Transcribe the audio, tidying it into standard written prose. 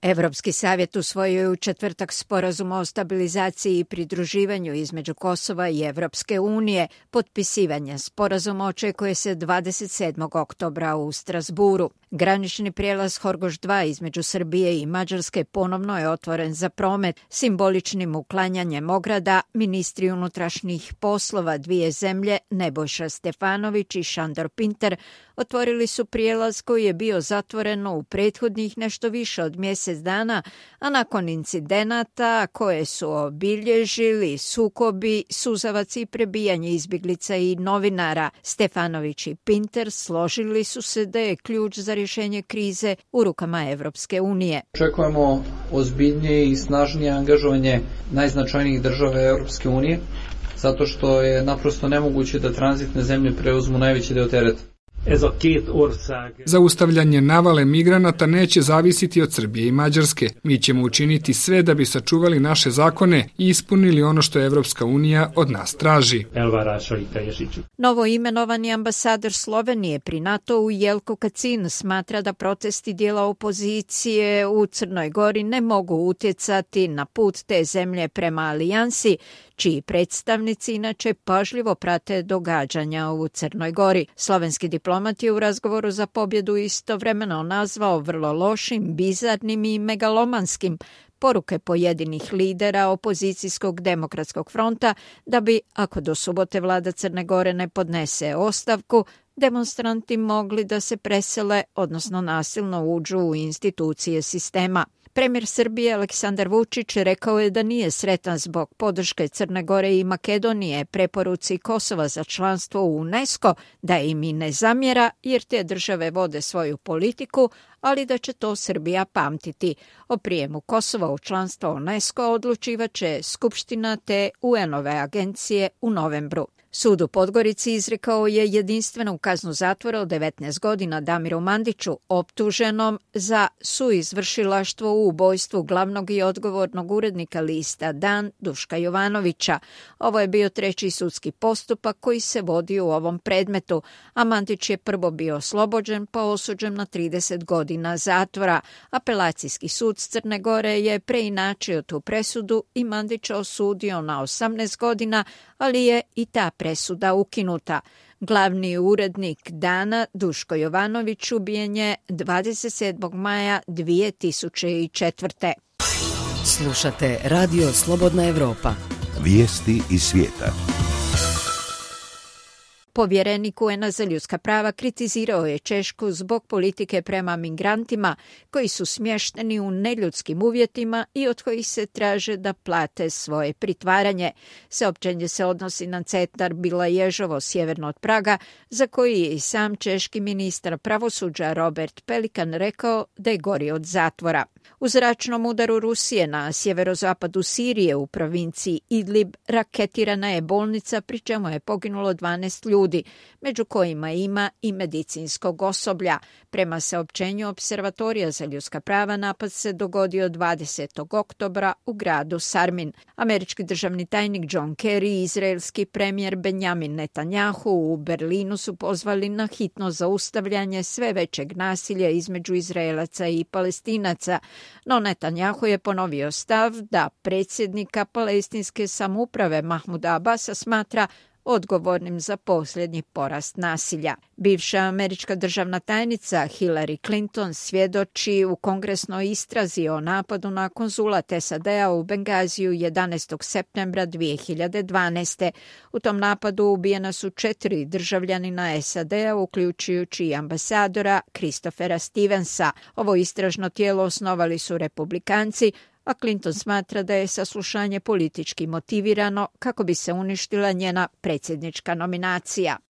Evropski savjet usvojio je u četvrtak sporazum o stabilizaciji i pridruživanju između Kosova i Evropske unije. Potpisivanje sporazuma očekuje se 27. oktobra u Strasburu. Granični prijelaz Horgoš 2 između Srbije i Mađarske ponovno je otvoren za promet. Simboličnim uklanjanjem ograda ministri unutrašnjih poslova dvije zemlje Nebojša Stefanović i Šandor Pinter otvorili su prijelaz koji je bio zatvoren u prethodnih nešto više od mjesec dana, a nakon incidenata koje su obilježili sukobi, suzavac i prebijanje izbjeglica i novinara, Stefanović i Pinter složili su se da je ključ za rješenje krize u rukama Evropske unije. Očekujemo ozbiljnije i snažnije angažovanje najznačajnijih država Evropske unije, zato što je naprosto nemoguće da tranzitne zemlje preuzmu najveći deo tereta. Zaustavljanje navale migranata neće zavisiti od Srbije i Mađarske. Mi ćemo učiniti sve da bi sačuvali naše zakone i ispunili ono što Evropska unija od nas traži. Novo imenovani ambasador Slovenije pri NATO-u Jelko Kacin smatra da protesti dijela opozicije u Crnoj Gori ne mogu utjecati na put te zemlje prema alijansi, čiji predstavnici inače pažljivo prate događanja u Crnoj Gori. Slovenski diplomat je u razgovoru za pobjedu istovremeno nazvao vrlo lošim, bizarnim i megalomanskim poruke pojedinih lidera opozicijskog demokratskog fronta da bi, ako do subote vlada Crne Gore ne podnese ostavku, demonstranti mogli da se presele, odnosno nasilno uđu u institucije sistema. Premijer Srbije Aleksandar Vučić rekao je da nije sretan zbog podrške Crne Gore i Makedonije preporuci Kosova za članstvo u UNESCO, da im i ne zamjera jer te države vode svoju politiku, ali da će to Srbija pamtiti. O prijemu Kosova u članstvo UNESCO odlučivat će Skupština te UN-ove agencije u novembru. Sud u Podgorici izrekao je jedinstvenu kaznu zatvora od 19 godina Damiru Mandiću, optuženom za suizvršilaštvo u ubojstvu glavnog i odgovornog urednika lista Dan Duška Jovanovića. Ovo je bio treći sudski postupak koji se vodi u ovom predmetu, a Mandić je prvo bio oslobođen pa osuđen na 30 godina zatvora. Apelacijski sud Crne Gore je preinačio tu presudu i Mandića osudio na 18 godina, ali je i ta presuda ukinuta. Glavni urednik Dana, Duško Jovanović, ubijen je 27. maja 2004. Slušate Radio Slobodna Evropa. Vijesti iz svijeta. Povjerenik UN-a za ljudska prava kritizirao je Češku zbog politike prema migrantima koji su smješteni u neljudskim uvjetima i od kojih se traže da plate svoje pritvaranje. Saopćenje se odnosi na centar Bila Ježovo sjeverno od Praga, za koji je i sam češki ministar pravosuđa Robert Pelikan rekao da je gori od zatvora. U zračnom udaru Rusije na sjeverozapadu Sirije u provinciji Idlib raketirana je bolnica, pri čemu je poginulo 12 ljudi, među kojima ima i medicinskog osoblja. Prema saopćenju Observatorija za ljudska prava, napad se dogodio 20. oktobra u gradu Sarmin. Američki državni tajnik John Kerry i izraelski premijer Benjamin Netanjahu u Berlinu su pozvali na hitno zaustavljanje sve većeg nasilja između Izraelaca i Palestinaca, no Netanjahu je ponovio stav da predsjednika palestinske samouprave Mahmuda Abasa smatra odgovornim za posljednji porast nasilja. Bivša američka državna tajnica Hillary Clinton svjedoči u kongresnoj istrazi o napadu na konzulat SAD-a u Bengaziju 11. septembra 2012. U tom napadu ubijena su 4 državljanina SAD-a, uključujući i ambasadora Christophera Stevensa. Ovo istražno tijelo osnovali su Republikanci, a Clinton smatra da je saslušanje politički motivirano kako bi se uništila njena predsjednička nominacija.